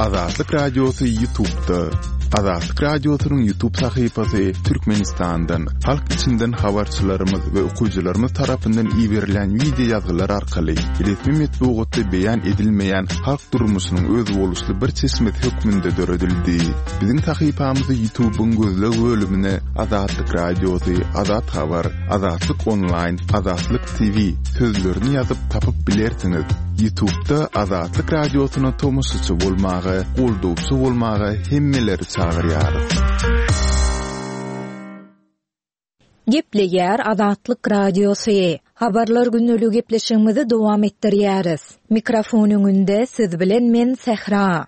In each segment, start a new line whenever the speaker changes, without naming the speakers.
Azatlyk Radiosy Ýutubda. Azatlyk Radiosynyň Ýutub sahypasy Türkmenistandan, halk içinden habarçylarymyz we okyjylarymyz tarapyndan iberilen wideo ýazgylar arkaly resmi metbugatda beýan edilmeýän halk durmuşynyň özboluşly bir çeşmesi hökmünde döredildi. Biziň sahypamyzy Ýutubyň gözleg bölümine Azatlyk Radiosy, Azat Habar, Azatlyk Onlaýn, Azatlyk TV sözlerini ýazyp tapyp bilersiňiz. Ýutubda Azatlyk Radiosyna tomaşaçy bolmaga, goldawçy bolmaga hemmeleri çagyrýarys.
Gepleýär Azatlyk Radiosy. Habarlar gündeligi gepleşigimizi dowam etdirýäris. Mikrofon öňünde siz bilen men Sähra.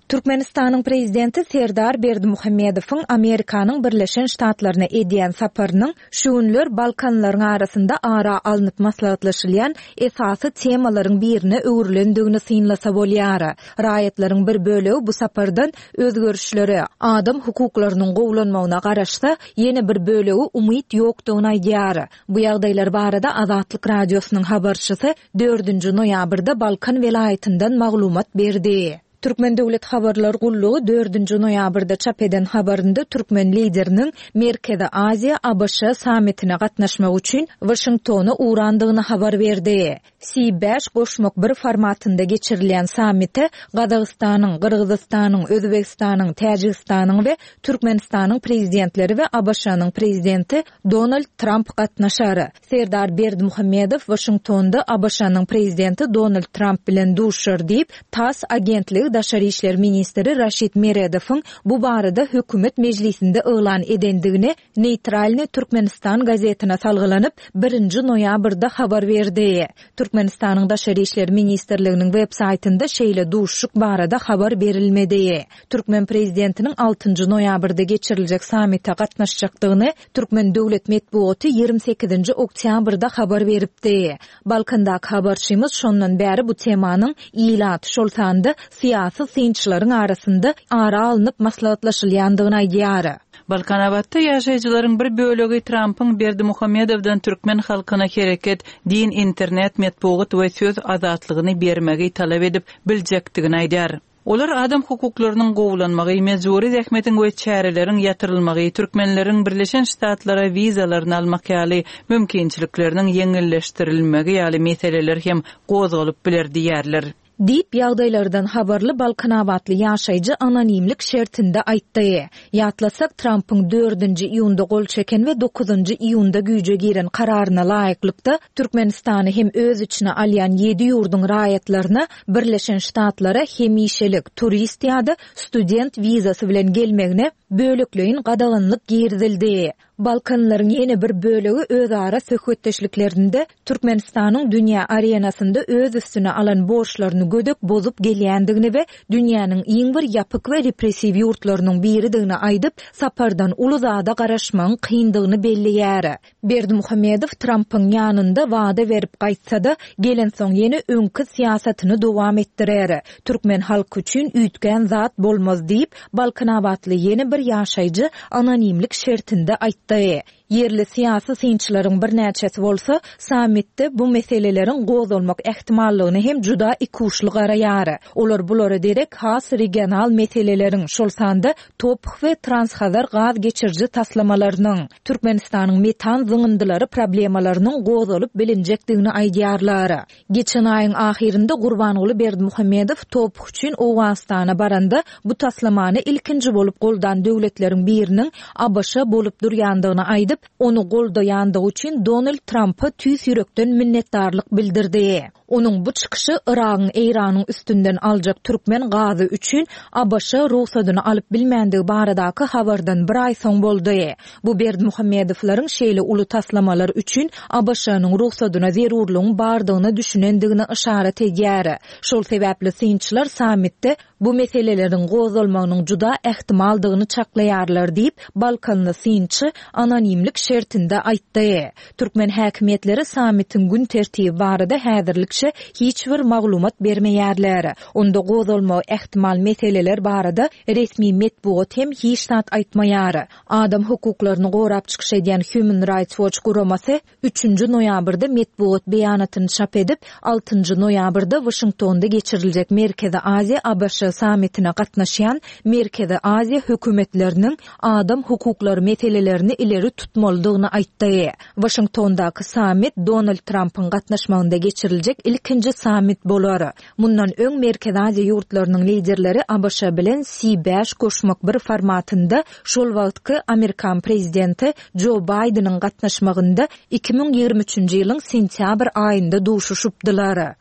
Türkmenistanyň Prezidenti Serdar Berdimuhamedowyň Amerikanyň Birleşen Ştatlaryna edýän saparynyň şu günler Balkanlaryň arasynda ara alnyp maslahatlaşylýan esasy temalaryň birine öwrülendigini synlasa bolýar. Raýatlaryň bir bölegi bu sapardan özgerişlere, adam hukuklarynyň gowulanmagyna garaşsa, ýene bir bölegi umyt ýokdugyny aýdýar. Bu ýagdaýlar barada Azatlyk Radiosynyň habarçysy dördünji noýabrda Balkan welaýatyndan maglumat berdi. Türkmen döwlet habarlar gullugy dördünji noýabrda çap eden habarynda türkmen Lideriniň Merkezi Aziýa, ABŞ sammitine gatnaşmak üçin Waşingtona ugrandygyny habar berdi. Si bäş goşmak bir formatynda geçirilýän sammite Gazagystanyň, Gyrgyzystanyň, Özbegistanyň, Täjigistanyň we Türkmenistanyň Prezidentleri we ABŞ-nyň Prezidenti Donald Tramp gatnaşar. Serdar Berdimuhamedow Waşingtonda ABŞ-nyň Prezidenti Donald Tramp bilen duşuşar diýip, tass agentligi daşary işler ministri Raşid Meredowyň bu barada hökümet mejlisinde yglan edendigini Neýtralnyý Türkmenistan gazetine salgylanyp, birinji noýabrda habar berdi. Türkmenistanyň Daşary işler ministrliginiň web saýtynda şeýle duşuşyk barada habar berilmedi. Türkmen prezidentiniň altynjy noýabrda geçiriljek sammite gatnaşjakdygyny türkmen döwlet metbugaty 28-nji oktýabrda habar beripdi. Balkandaky habarçymyz şondan bäri bu temanyň ilat, şol sanda syýasy synçylaryň arasynda ara alnyp maslahatlaşylýandygyny aýdýar.
Balkanabatda ýaşaýjylaryň bir bölegi Trampyň Berdimuhamedowdan türkmen halkyna hereket, din, internet, metbugat we söz azatlygyny bermegi talap edip biljekdigini aýdýar. Olar adam hukuklarynyň gowulanmagy, mejbury zähmetiň we çäreleriň ýatyrylmagy, türkmenleriň Birleşen Ştatlara wizalaryny almak ýaly mümkinçilikleriniň ýeňilleşdirilmegi ýaly meseleler hem gozgalyp biler diýýärler.
Diýip, ýagdaýlardan habarly balkanabatly ýaşaýjy anonimlik şertinde aýtdy. Ýatlasak, Trampyň dördünji iýunda gol çeken we dokuzynjy iýunda güýje giren kararyna laýyklykda, Türkmenistany hem öz içine alýan ýedi ýurduň raýatlaryna Birleşen Ştatlara hemişelik, turist ýa-da student wizasy bilen gelmegine bölekleýin gadaganlyk girizildi. Balkanlaryň ýene bir bölegi özara söhbetdeşliklerinde Türkmenistanyň dünýä arenasynda öz üstüne alan borçlaryny gödek bozup gelýändigini we dünýäniň iň bir ýapyk we repressiw ýurtlarynyň biridigini aýdyp, sapardan uly zada garaşmagyň kyndygyny belleýär. Berdimuhamedow Trampyň ýanynda wada berip gaýtsa-da, gelensoň ýene öňki syýasatyny dowam etdirer. Türkmen halky üçin üýtgän zat bolmaz diýip, balkanabatly ýene bir ýaşaýjy anonimlik şertinde aýtdy. Ýerli syýasy synçylaryň birnäçesi bolsa, sammitde bu meseleleriň gozgalmak ähtimallygyna hem juda ikuçly garaýar. Olar bulara derek has regional meseleleriň, şol sanda TOPH we Transhazar gaz geçiriji taslamalarynyň, Türkmenistanyň metan zyňyndylary problemalarynyň gozgalyp bilinjekdigini aýdýarlar. Geçen aýyň ahyrynda Gurbanguly Berdimuhamedow TOPH üçin Owganystana baranda, bu taslamany ilkinji bolup goldan döwletleriň biriniň ABŞ bolup durýandygyny aýdyp, ony goldaýandygy üçin Donald Trampa tüýs ýürekden minnetdarlyk bildirdi. Onuň bu çykyşy Yragyň Eýranyň üstünden aljak türkmen gazy üçin ABŞ rugsadyny alyp bilmändigi baradaky habardan bir aý soň boldy. Bu Berdimuhamedowlaryň şeýle uly taslamalar üçin ABŞ-nyň rugsadyna zerurlygyň bardygyna düşünendigine yşarat edýär. Şol sebäpli synçylar sammitde bu meseleleriň gozgalmagynyň juda ähtimaldygyny çaklaýarlar diýip, balkanly synçy anonimlik. anonimlik şertinde aýtdy. Türkmen häkimiýetleri sammitiň gün tertibi barada häzirlikçe hiç bir maglumat bermeýärler. Onda gozgalmagy ähtimal meseleler barada resmi metbugat hem hiç zat aýtmaýar. Adam hukuklaryny gorap çykyş edýän Human Rights Watch guramasy üçünji noýabrda metbugat beýanatyny çap edip, altynjy noýabrda Waşingtonda geçiriljek Merkezi Aziýa-ABŞ sammitine gatnaşýan Merkezi Aziýa hökümetleriniň adam hukuklary meselelerini ileri tutmalydygyny aýtdy. Waşingtondaky sammit Donald Trampyň gatnaşmagynda geçiriljek ilkinji sammit bolar. Mundan öň Merkezi Aziýa ýurtlarynyň liderleri ABŞ bilen Si bäş goşmak bir formatynda şol wagtky amerikan prezidenti Jo Baýdeniň gatnaşmagynda 2023-nji ýylyň sentýabr aýynda duşuşypdylar.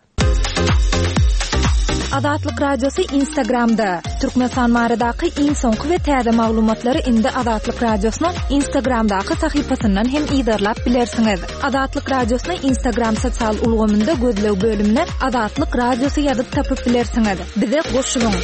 Azatlyk Radiosy Instagramda, Türkmenistan baradaky iň soňky we täze maglumatlary indi Azatlyk Radiosynyň Instagramdaky sahypasyndan hem yzarlap bilersiňiz. Azatlyk Radiosyny Instagram sosial ulgamynda gözleg bölümine Azatlyk Radiosy ýazyp tapyp bilersiňiz. Bize goşulyň!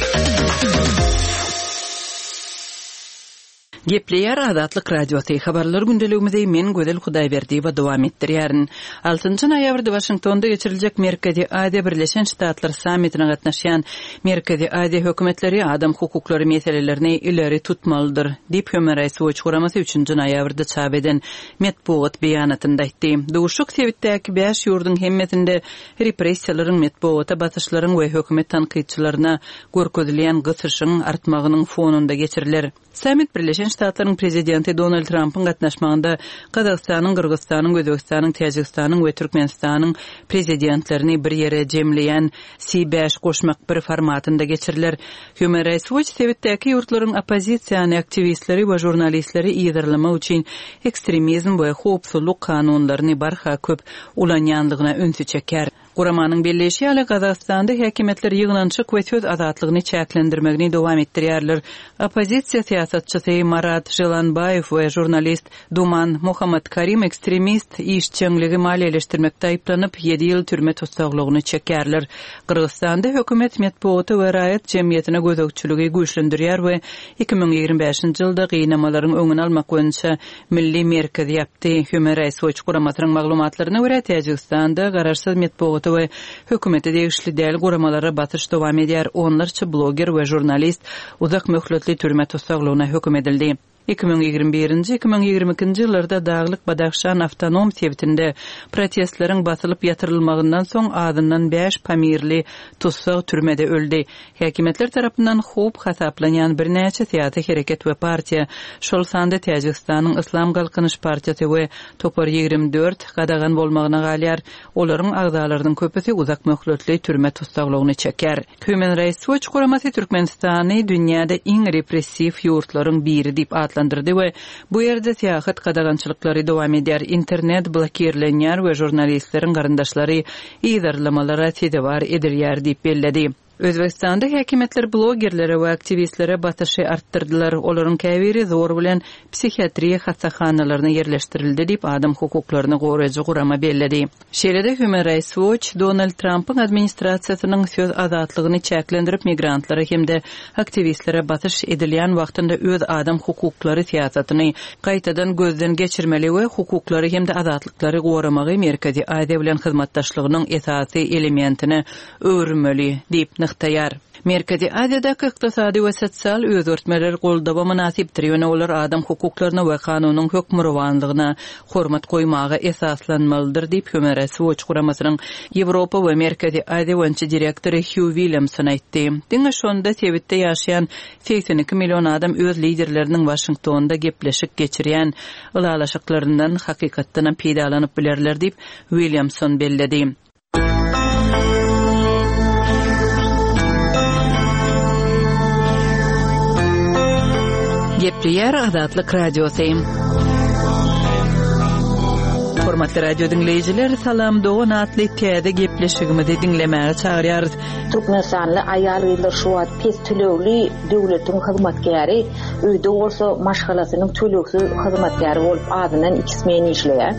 Gepleýär Azatlyk Radiosy, Habarlar gündeligimizi men Gözel Hudaýberdiýewa dowam etdirýärin. Altynjy noýabrda Waşingtonda geçiriljek Merkezi Aziýa Birleşen Ştatlar sammitine gatnaşýan Merkezi Aziýa hökümetleri adam hukuklary meselelerini ileri tutmalydyr, diýip Human Rights Watch guramasy üçünji noýabrda çap eden metbugat beýanatynda aýtdy. Duşuşyk sebitdäki bäş ýurduň hemmesinde repressiýalaryň, metbugata basyşlaryň we hökümet tankytçylaryna görkezilýän gysyşyň artmagynyň fonunda geçiriler. Sammit Birleşen Ştatlaryň Prezidenti Donald Trampyň gatnaşmagynda Gazagystanyň, Gyrgyzystanyň, Özbegistanyň, Täjigistanyň we Türkmenistanyň Prezidentlerini bir ýere jemleýän Si bäş goşmak bir formatynda geçiriler. Human Rights Watch sebitdäki ýurtlaryň oppozisiýany, aktiwistleri we žurnalistleri yzarlamak üçin ekstremizm we howpsuzlyk kanunlaryny barha köp ulanýandygyna ünsi çekýär. Guramanyň belleýşi ýaly, Gazagystanda häkimiýetler ýygnanyşyk we söz azatlygyny çäklendirmegini dowam etdirýärler. Oppozisiýa syýasatçysy Marat Želanbaýew we žurnalist Duman Muhammatkarim ekstremist işjeňligi maliýeleşdirmekde aýyplanyp, ýedi ýyl türme tussaglygyny çekýärler. Gyrgyzystanda hökümet metbugata we raýat jemgyýetine gözegçiligi güýçlendirýär we 2025-nji ýylda gynamalaryň öňüni almak boýunça Milli merkez ýapdy. Human Rights Watch guramasynyň maglumatlaryna görä, Täjigistanda garaşsyz metbugata we hökümete degişli däl guramalara basyş dowam edýär, onlarça bloger we žurnalist uzak möhletli türme tussaglygyna höküm edildi. 2021-nji, 2022-nji ýyllarda Daglyk Badahşan awtonom sebitinde protestleriň basylyp ýatyrylmagyndan soň azyndan bäş pamirli tussag türmede öldi. Häkimiýetler tarapyndan howp hasaplanýan birnäçe syýasy hereket we partiýa, şol sanda Täjigistanyň Yslam Galkynyş partiýasy we Topar 24 gadagan bolmagyna galýar. Olaryň agzalarynyň köpüsi uzak möhletli türme tussaglygyny çeker. Human Rights Watch guramasy Türkmenistany dünýäde iň repressiw ýurtlaryň biri diýip atlandyrdy we bu ýerde syýahat gadagançylyklary dowam edýär, internet blokirlenýär we žurnalistleriň garyndaşlary yzarlamalara sezewar edilýär diýip belledi. Özbegistanda häkimiýetler blogerlere we aktiwistlere basyşy artdyrdylar, olaryň käbiri zor bilen psihiatriýa hassahanalaryna ýerleşdirildi diýip, adam hukuklaryny goraýjy gurama belledi. Şeýle-de Human Rights Watch Donald Trampyň administrasiýasynyň söz azatlygyny çäklendirip, migrantlara hem-de aktiwistlere basyş edilýän wagtynda öz adam hukuklary syýasatyny gaýtadan gözden geçirmeli we hukuklary hem-de azatlyklary goramagy Merkezi Aziýa bilen hyzmatdaşlygynyň esasy elementine öwürmeli diýip nygtaýar. Merkezi Aziýadaky ykdysady we sosial özgertmeler goldawa mynasypdyr, ýöne olar adam hukuklaryna we kanunyň hökmürowanlygyna hormat goýmaga esaslanmalydyr diýip, Human Rights Watch guramasynyň Ýewropa we Merkezi Aziýa boýunça direktory Hýu Williamson aýtdy. Diňe şonda sebitde ýaşaýan 82 million adam öz liderleriniň Waşingtonda gepleşik geçirýän ylalaşyklaryndan hakykatdanam peýdalanyp bilerler diýip, Williamson belledi. Gepleýär Azatlyk Radiosy. Hormatly radio diňleýjiler, Salam dogan atly täze gepleşigimizi diňlemäge çagyrýarys.
Türkmenistanly aýal-gyzlar şu wagt pes tölegli döwletiň hyzmatkäri, öýde bolsa maşgalasynyň tölegsiz hyzmatkäri bolup azyndan iki smen işleýär.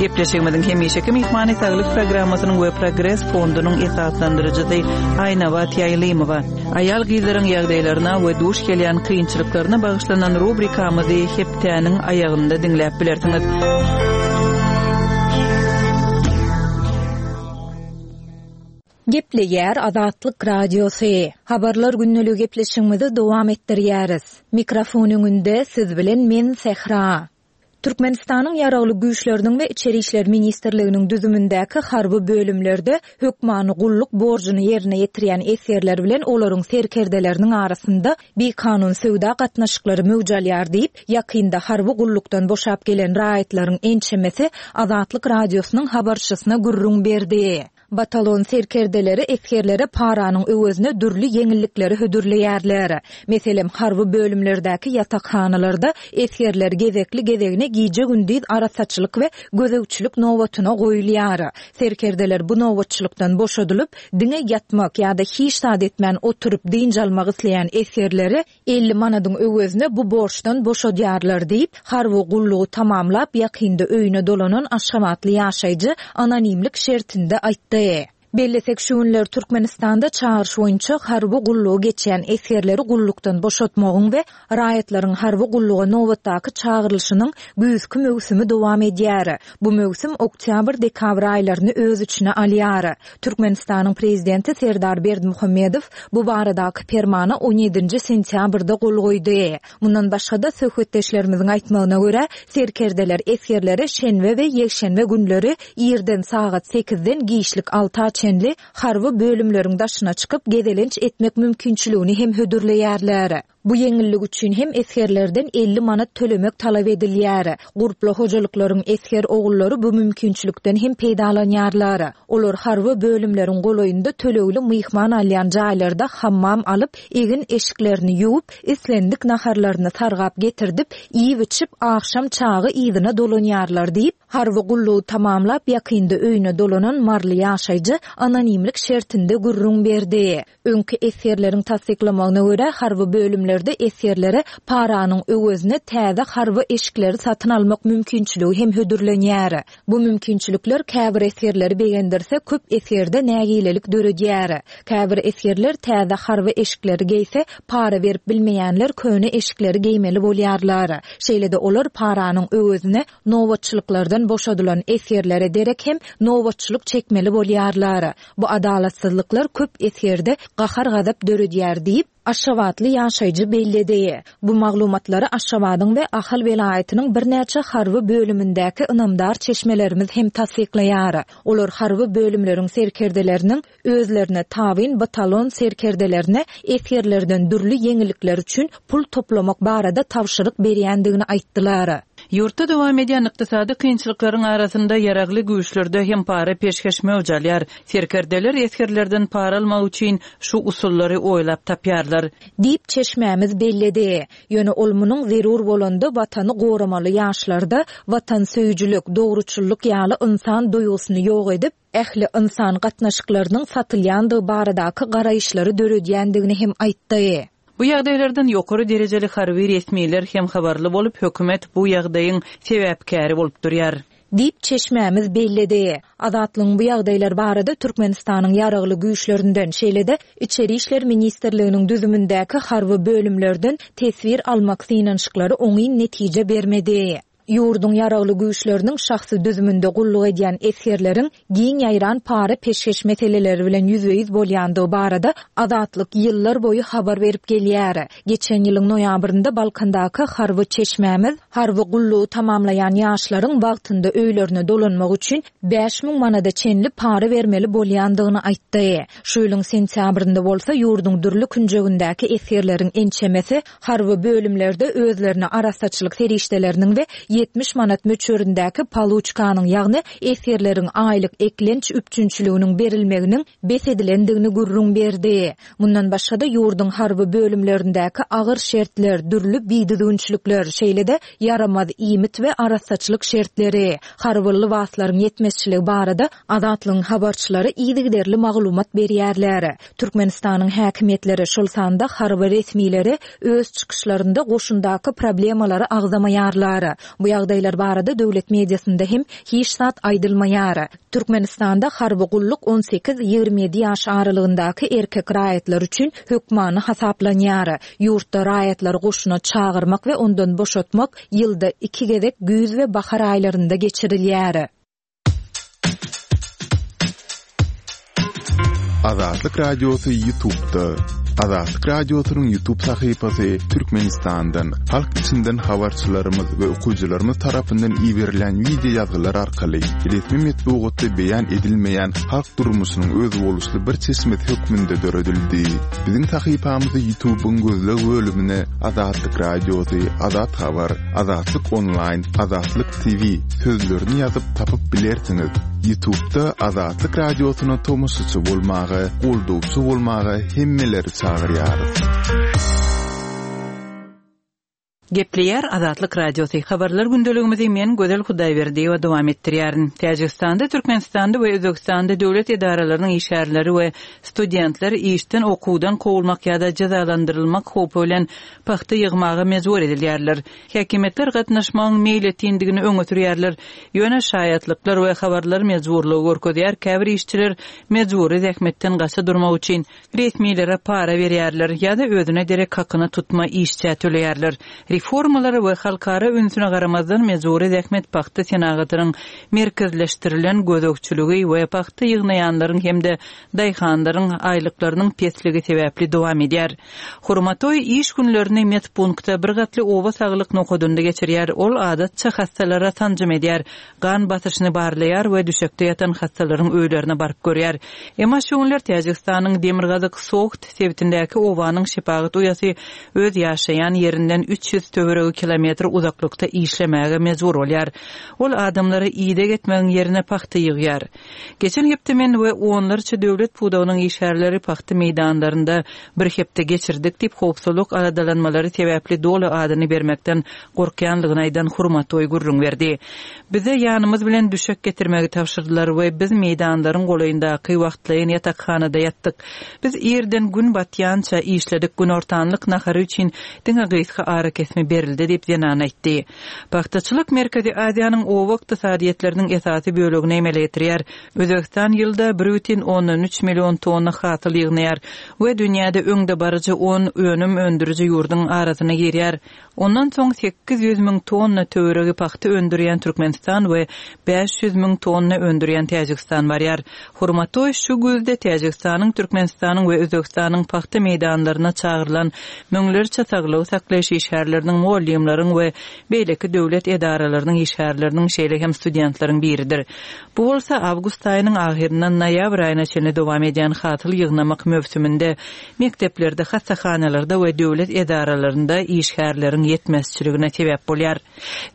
Gepleşigimiziň hemişeki myhmany Saglyk programmasynyň we Progres fondunyň esaslandyryjysy Aýnabat Ýaýlymowa. Aýal-gyzlaryň ýagdaýlaryna we duş gelýän kynçylyklaryna bagyşlanan rubrikamyzy hepdäniň aýagynda diňläp bilersiňiz.
Gepleýär Azatlyk Radiosy. Habarlar gündeligi gepleşigimizi dowam etdirýäris. Mikrofon öňünde siz bilen men Sähra. Türkmenistanyň Ýaragly Güýçleriniň we Içeri işler ministrliginiň düzümindäki harby bölümlerde hökmany gulluk borjuny ýerine ýetirýän esgerler bilen olaryň serkerdeleriniň arasynda bikanun söwda gatnaşyklary möwç alýar diýip, ýakynda harby gullukdan boşap gelen raýatlaryň ençemesi Azatlyk Radiosynyň habarçysyna gürrüň berdi. Batalon serkerdeleri esgerlere paranyň öwezine dürli ýeňillikleri hödürleýärler. Meselem, harby bölümlerdäki ýatakhanalarda esgerler gezekli-gezegine gije-gündiz arassaçylyk we gözegçilik nobatyna goýulýar. Serkerdeler bu nobatçylykdan boşadylyp, diňe ýatmak ýa-da hiç zat etmän oturyp dynç almak isleýän esgerleri 50 manadyň öwezine bu borçdan boşadýarlar diýip, harby gullugy tamamlap, ýakynda öýüne dolanan aşgabatly ýaşaýjy anonimlik şertinde aýtdy. Bellesek, şu günler Türkmenistanda çagyryş boýunça harby gullugy geçýän esgerleri gullukdan boşatmagyň we raýatlaryň harby gulluga nobatdaky çagyrylyşynyň güýzki möwsümi dowam edýär. Bu möwsüm oktýabr-dekabr aýlaryny öz içine alýar. Türkmenistanyň Prezidenti Serdar Berdimuhamedow bu baradaky Permana on ýedinji sentýabrda gol goýdy. Mundan başga-da, söhbetdeşlerimiziň aýtmagyna görä, serkerdeler esgerlere şenbe we ýekşenbe günleri irden sagat sekizden giçlik alta çenli harby bölümleriň daşyna çykyp gezelenç etmek mümkinçiligini hem hödürleýärler. Bu ýeňillik üçin hem esgerlerden 50 manat tölemek talap edilýär. Gurply hojalyklaryň esger ogullary bu mümkinçilikden hem peýdalanýarlar. Olar harby bölümleriň golaýynda tölegli myhman alýan jaýlarda hammam alyp, egin-eşiklerini ýuwup, islendik naharlaryny sargap getirdip, iýip-içip, agşam çagy yzyna dolanýarlar diýip, harby gullugy tamamlap, ýakynda öýüne dolanan maryly ýaşaýjy anonimlik şertinde gürrüň berdi. Öňki esgerleriň tassyklamagyna görä, harby bölümlerde esgerlere paranyň öwezine täze harby eşikleri satyn almak mümkinçiligi hem hödürlenýär. Bu mümkinçilikler käbir esgerleri begendirse, köp esgerde nägilelik döredýär. Käbir esgerler täze harby eşikleri geýse, para berip bilmeýänler köne eşikleri geýmeli bolýarlar. Şeýle-de olar paranyň öwezine nobatçylyklardan boşadylan esgerlere derek hem nobatçylyk çekmeli bolýarlar. Bu adalatsyzlyklar köp esgerde gahar-gazap döredýär diýip, aşgabatly ýaşaýjy belledi. Bu maglumatlary Aşgabadyň we Ahal welaýatynyň birnäçe harby bölümindäki ynamdar çeşmelerimiz hem tassyklaýar. Olar harby bölümleriň serkerdeleriniň özlerine tabyn batalon serkerdelerine esgerlerden dürli ýeňillikler üçin pul toplamak barada tabşyryk berýändigini aýtdylar.
Ýurtda dowam edýän ykdysady kynçylyklaryň arasynda Ýaragly Güýçlerde hem para-peşgeş möwç alýar. Serkerdeler esgerlerden para almak üçin şu usullary oýlap tapýarlar.
Diýip, çeşmämiz belledi. Ýöne ol munuň zerur bolanda Watany goramaly ýaşlarda watansöýüjilik, dogruçyllyk ýaly ynsan duýgusyny ýok edip, ähli ynsan gatnaşyklarynyň satylýandygy baradaky garaýyşlary döredýändigini hem aýtdy.
Bu ýagdaýlardan ýokary derejeli harby resmiler hem habarly bolup, hökümet bu ýagdaýyň sebäpkäri bolup durýar.
Diýip, çeşmämiz belledi. Azatlygyň bu ýagdaýlar barada Türkmenistanyň Ýaragly Güýçlerinden, şeýle-de Içeri işler ministrliginiň düzümindäki harby bölümlerden teswir almak synanyşyklary oňyn netije bermedi. Ýurduň Ýaragly Güýçleriniň şahsy düzüminde gulluk edýän esgerleriň giň ýaýran para-peşgeş meseleleri bilen ýüzbe-ýüz bolýandygy barada Azatlyk ýyllar boýy habar berip gelýär. Geçen ýylyň noýabrynda Balkandaky harby çeşmämiz harby gullugy tamamlaýan ýaşlaryň wagtynda öýlerine dolanmak üçin 5000 manada çenli para bermeli bolýandygyny aýtdy. Şu ýylyň sentýabrynda bolsa ýurduň dürli künjegindäki esgerleriň ençemesi Harby bölümlerde özlerine arassaçylyk serişdeleriniň we 70 manat möçberindäki poluçkanyň, ýagny esgerleriň aýlyk eklenç üpjünçiliginiň berilmeginiň bes edilendigini gürrüň berdi. Mundan başga-da, ýurduň harby bölümlerindäki agyr şertler, dürli bidüzgünçilikler, şeýle-de ýaramaz iýmit we arassaçylyk şertleri, harby lybaslaryň ýetmezçiligi barada Azatlygyň habarçylary yzygiderli maglumat berýärler. Türkmenistanyň häkimiýetleri, şol sanda harby resmileri öz çykyşlarynda goşundaky problemalary agzamaýarlar. Bu ýagdaýlar barada döwlet mediasynda hem hiç zat aýdylmaýar. Türkmenistanda harby gulluk 18, 27 ýaş aralygyndaky erkek raýatlar üçin hökmany hasaplanýar. Ýurtda raýatlary goşuna çagyrmak we ondan boşatmak ýylda iki gezek güýz we bahar aýlarynda geçirilýär.
Azatlyk Radiosy YouTube'da. Azatlyk Radiosynyň YouTube sahypasy Türkmenistandan, halk içinden habarçylarymyz we okyjylarymyz tarapyndan iberilen wideo ýazgylar arkaly resmi metbugatda beýan edilmeýän halk durmuşynyň özboluşly bir çeşmesi hökmünde döredildi. Biziň sahypamyzy YouTube'yň gözleg bölümine Azatlyk Radiosy, Azat Habar, Azatlyk Onlaýn, Azatlyk TV sözlerini ýazyp tapyp bilersiňiz. Ýutubda Azatlyk Radiosyna tomaşaçy bolmaga, goldawçy bolmaga hemmeleri çagyrýarys.
Gepleýär Azatlyk Radiosy, Habarlar gündeligimizi men Gözel Hudaýberdiýewa dowam etdirýärin. Täjigistanda, Türkmenistanda we Özbegistanda döwlet edaralarynyň işgärleri we studentler işden, okuwdan kowulmak ýa-da jezalandyrylmak howpy bilen pagta ýygmaga mejbur edilýärler. Häkimiýetler gatnaşmagyň meýletindigini öňe sürýärler. Ýöne şaýatlyklar we habarlar mejburlygy görkezýär, käbir işçiler mejbury zähmetden gaça durmak üçin resmilere para berýärler ýa-da özüne derek hakyna tutma işçä töleýärler. Reformalara we halkara ünsüne garamazdan mejbury zähmet pagta senagatynyň merkezleşdirilen gözegçiligi we pagta ýygnaýanlaryň hem-de daýhanlaryň aýlyklarynyň pesligi sebäpli dowam edýär. Hurmatoý iş günlerini medpunktda bir gatly oba saglyk nokadynda geçirýär. Ol adatça hassalara sanjym edýär, gan basyşyny barlaýar we düşekde ýatan hassalaryň öýlerine baryp görýär. Emma şu günler Täjigistanyň demirgazyk Sogt sebitindäki obanyň şepagat uýasy öz ýaşaýan ýerinden 300 töweregi kilometr uzaklykda işlemäge mejbur bolýar. Ol adamlara ideg etmegiň ýerine pagta ýygýar. Geçen hepde men we onlarça döwlet pudagynyň işgärleri pagta meýdanlarynda bir hepde geçirdik diýip, howpsuzlyk aladalanmalary sebäpli doly adyny bermekden gorkýanlygyny aýdan Hurmatoý gürrüň berdi. Bize ýanymyz bilen düşek getirmegi tabşyrdylar we biz meýdanlaryň golaýyndaky wagtlaýyn ýatakhanada ýatdyk. Biz irden gün batýança işledik, günortanlyk nahary üçin diňe gysga arakesme berildi diýip, zenan aýtdy. Pagtaçylyk Merkezi Aziýanyň oba ykdysadyýetleriniň esasy bölegini emele getirýär. Özbegistan ýylda 1,3 million tonna hasyl ýygnaýar we dünýäde öňdebaryjy on önüm öndüriji ýurduň arasyna girýär. Ondan soň 800 müň tonna töweregi pagta öndürýän Türkmenistan we 500 müň tonna öndürýän Täjigistan barýar. Hurmatoý şu güýzde Täjigistanyň, Türkmenistanyň we Özbegistanyň pagta meýdanlaryna çagyrylan müňlerçe saglygy saklaýyş işgärleriniň, mugallymlaryň we beýleki döwlet edaralarynyň işgärleriniň, şeýle hem studentleriň biridir. Bu bolsa awgust aýynyň ahyryndan noýabr aýyna çenli dowam edýän hasyl ýygnamak möwsüminde mekdeplerde, hassahanalarda we döwlet edaralarynda işgärleriň ýetmezçiligine sebäp bolýar.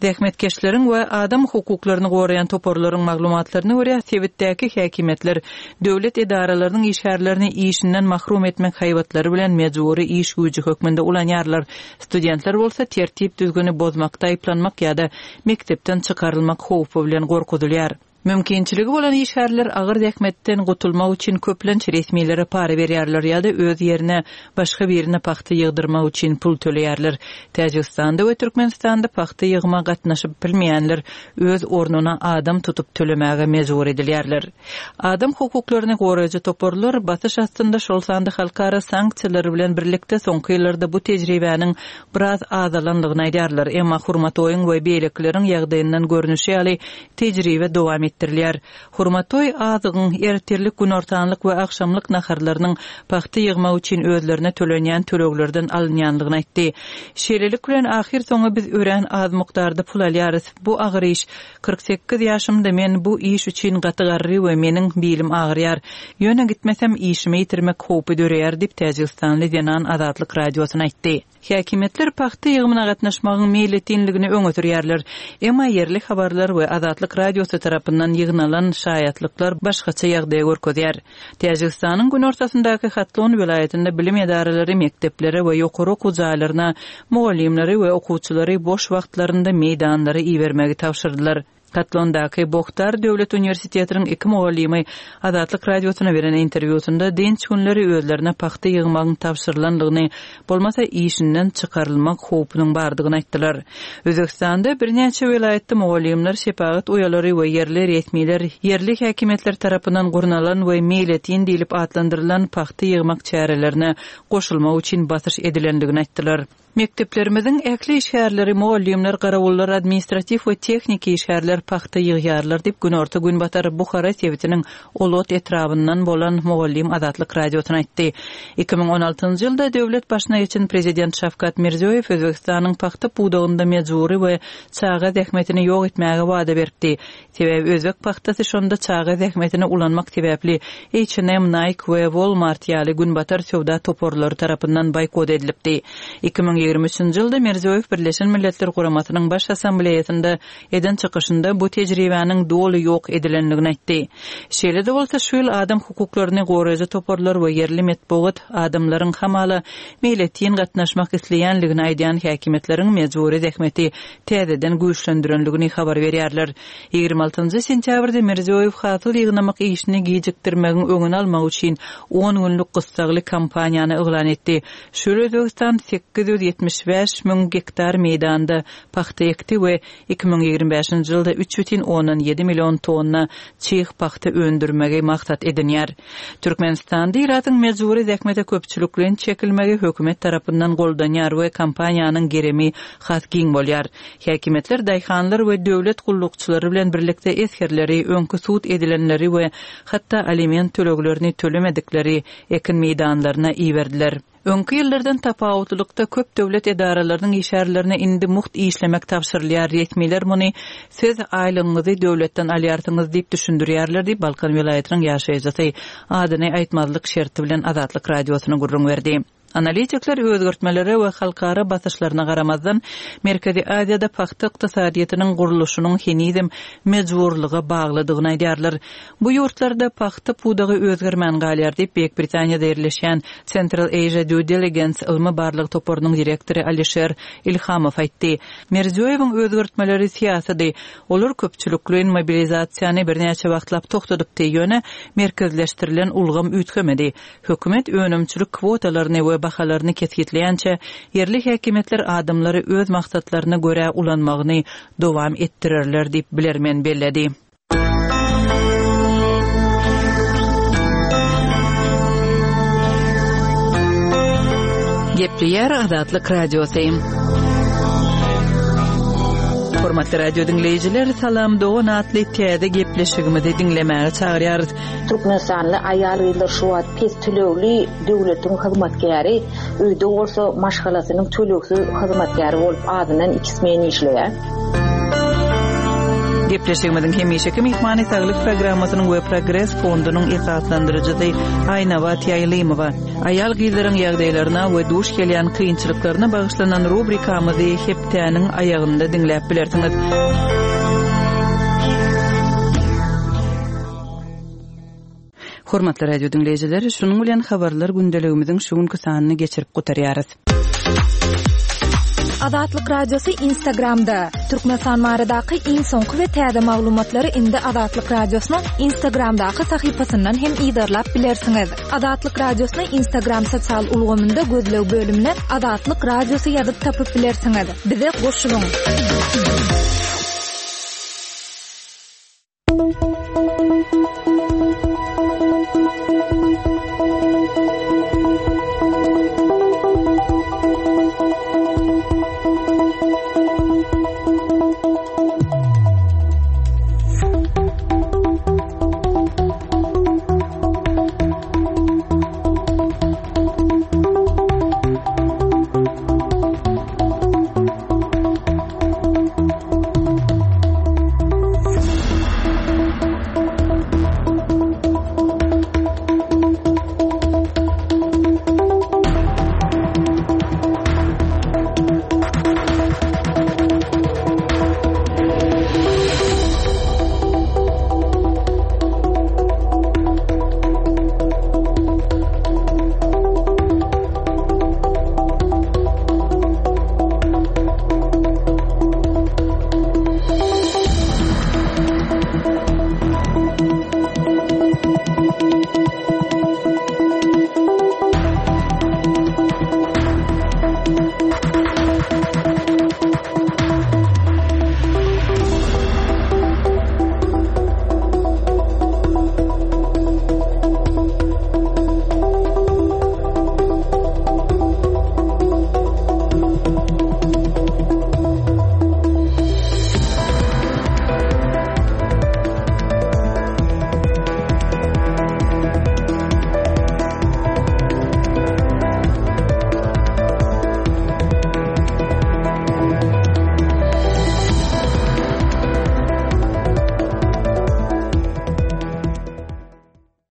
Zähmetkeşleriň we adam hukuklaryny goraýan toparlaryň maglumatlaryna görä, sebitdäki häkimiýetler döwlet edaralarynyň işgärlerini işinden mahrum etmek haýbatlary bilen mejbury iş güýji hökmünde ulanýarlar, studentler bolsa tertip-düzgüni bozmakda aýyplanmak ýa-da mekdepden çykarylmak howpy bilen gorkuzylýar. Mümkinçiligi bolan işgärler agyr zähmetden gutulmak üçin köplenç resmilere para berýärler ýa-da öz ýerine başga birine pagta ýygdyrmak üçin pul töleýärler. Täjigistanda we Türkmenistanda pagta ýygyma gatnaşyp bilmeýänler öz ornuna adam tutup tölemäge mejbur edilýärler. Adam hukuklaryny goraýjy toparlar basyş astynda, şol sanda halkara sanksiýalary bilen birlikde soňky ýyllarda bu tejribäniň biraz azalandygyny aýdýarlar. Emma Hurmatoýyň we beýlekileriň ýagdaýyndan görnüşi ýaly, Tejribe dowam etdirilýär. Hurmatoý azygyň, ertirlik, günortanlyk we agşamlyk naharlarynyň pagta ýygmak üçin özlerine tölenýän töleglerden alynýanlygyny aýtdy. Şeýlelik bilen, ahyrsoňy biz örän az mukdarda pul alýarys. Bu agyr iş. 48 ýaşymda men bu iş üçin gaty garry we meniň bilim agyrýar. Ýöne gitmesem, işimi ýitirmek howpy döreýär diýip, täjigistanly zenan Azatlyk Radiosyna aýtdy. Häkimiýetler pagta ýygymyna gatnaşmagyň meýletinligini öňe sürýärler. Emma ýerli habarlar we Azatlyk Radiosy tarapyndan ýygnalan şaýatlyklar başgaça ýagdaýy görkezýär. Täjigistanyň günortasyndaky Hatlon welaýatynda bilim edaralary mekdeplere we ýokary okuw jaýlaryna mugallymlary we okuwçylary boş wagtlarynda meýdanlara ibermegi tabşyrdylar. Hatlondaky Bohtar döwlet uniwersitetiniň iki mugallymy Azatlyk Radiosyna beren interwýusynda dynç günleri özlerine pagta ýygmagyň tabşyrylandygyny, bolmasa işinden çykarylmak howpunyň bardygyny aýtdylar. Özbegistanda birnäçe welaýatda mugallymlar, şepagat uýalary we ýerli resmiler ýerli häkimiýetler tarapyndan gurnalan we meýletin diýlip atlandyrylan pagta ýygmak çärelerine goşulmak üçin basyş edilendigini aýtdylar. Mekdeplerimiziň ähli işgärleri, mugallymlar, garawullar, administratiw we tehniki işgärler pagta ýygýarlar diýip, günorta-günbatar Buhara sebitiniň Olot etrabyndan bolan mugallym Azatlyk Radiosyna aýtdy. 2016-njy ýylda döwlet başyna geçen prezident Şawkat Mirziýoýew Özbegistanyň pagta pudagynda mejbury we çaga zähmetini ýok etmäge wada beripdi. Sebäbi özbek pagtasy şonda çaga zähmetini ulanmak sebäpli H&M, Nike we Walmart ýaly günbatar söwda toparlary tarapyndan boýkot edilipdi. 2023-nji ýylda Mirziýoýew Birleşen Milletler Guramasynyň Baş Assambleýasynda eden çykyşynda bu tejribäniň doly ýok edilendigini aýtdy. Şeýle-de bolsa, şu ýyl adam hukuklaryny goraýjy toparlar we ýerli metbugat adamlaryň hamala meýletin gatnaşmak isleýänligini aýdýan häkimiýetleriň mejbury zähmeti täzeden güýçlendirendigini habar berýärler. 26 njy sentýabrda Mirziýoýew hasyl ýygnamak işini gijikdirmegiň öňüni almak üçin on günlük gyssagly kampaniýany yglan etdi. Şu ýyl Özbegistan 875 müň gektar meýdanda pagta ekdi we 2025-nji ýylda 3,7 million tonna çig pagta öndürmegi maksat edinýär. Türkmenistanda ilatyň mejbury zähmete köpçülikleýin çekilmegi hökümet tarapyndan goldanýar we kampaniýanyň gerimi has giň bolýar. Häkimiýetler daýhanlar we döwlet gullukçylary bilen birlikde esgerleri, öňki sud edilenleri we hatda aliment töleglerini tölemedikleri ekin meýdanlaryna iberdiler. Öňki ýyllardan tapawutlylykda köp döwlet edaralarynyň işgärlerine indi mugt işlemek tabşyrylýar, resmiler muny siz aýlygyňyzy döwletden alýarsyňyz diýip düşündirýärler diýip, Balkan welaýatynyň ýaşaýjysy adyny aýtmazlyk şerti bilen Azatlyk Radiosyna gürrüň berdi. Analitikler özgertmelere we halkara basyşlaryna garamazdan, Merkezi Aziýada pagta ykdysadyýetiniň gurluşynyň henizem mejburlyga baglydygyny aýdýarlar. Bu ýurtlarda pagta pudagy özgermän galýar diýip, Beýik Britaniýada ýerleşýän Central Asia Due Diligence ylmy-barlag toparynyň direktory Alişer Ilhamow aýtdy. Mirziýoýewiň özgertmeleri syýasydy. Olar köpçülikleýin mobilizasiýany birnäçe wagtlap togtadypdy, ýöne merkezleşdirilen ulgam üýtgemedi. Hökümet önümçilik kwotalaryny we bahalaryny kesgitleýänçä, ýerli häkimiýetler adamlary öz maksatlaryna görä ulanmagyny dowam etdirerler diýip, bilermen belledi. Gepleýär Azatlyk Radiosy. Hormatly radio diňleýjiler, Salam dogan atly täze gepleşigimizi diňlemäge çagyrýarys.
Türkmenistanly aýal-gyzlar şu wagt pes tölegli döwletiň hyzmatkäri, öýde bolsa maşgalasynyň tölegsiz hyzmatkäri bolup azyndan iki smen işleýär.
Gepleşigimiziň hemişeki myhmany Saglyk programmasynyň we Progres fondunyň esaslandyryjysy Aýnabat Ýaýlymowa. Aýal-gyzlaryň ýagdaýlaryna we duş gelýän kynçylyklaryna bagyşlanan rubrikamyzy hepdäniň aýagynda diňläp bilersiňiz. Hormatly radio diňleýjiler, şunuň bilen habarlar gündeligimiziň şu günki sanyny geçirip gutarýarys.
Azatlyk Radiosy Instagramda, Türkmenistan baradaky iň soňky we täze maglumatlary indi Azatlyk Radiosynyň Instagramdaky sahypasyndan hem yzarlap bilersiňiz. Azatlyk Radiosyny Instagram sosial ulgamynda gözleg bölümine Azatlyk Radiosy ýazyp tapyp bilersiňiz. Bize goşulyň!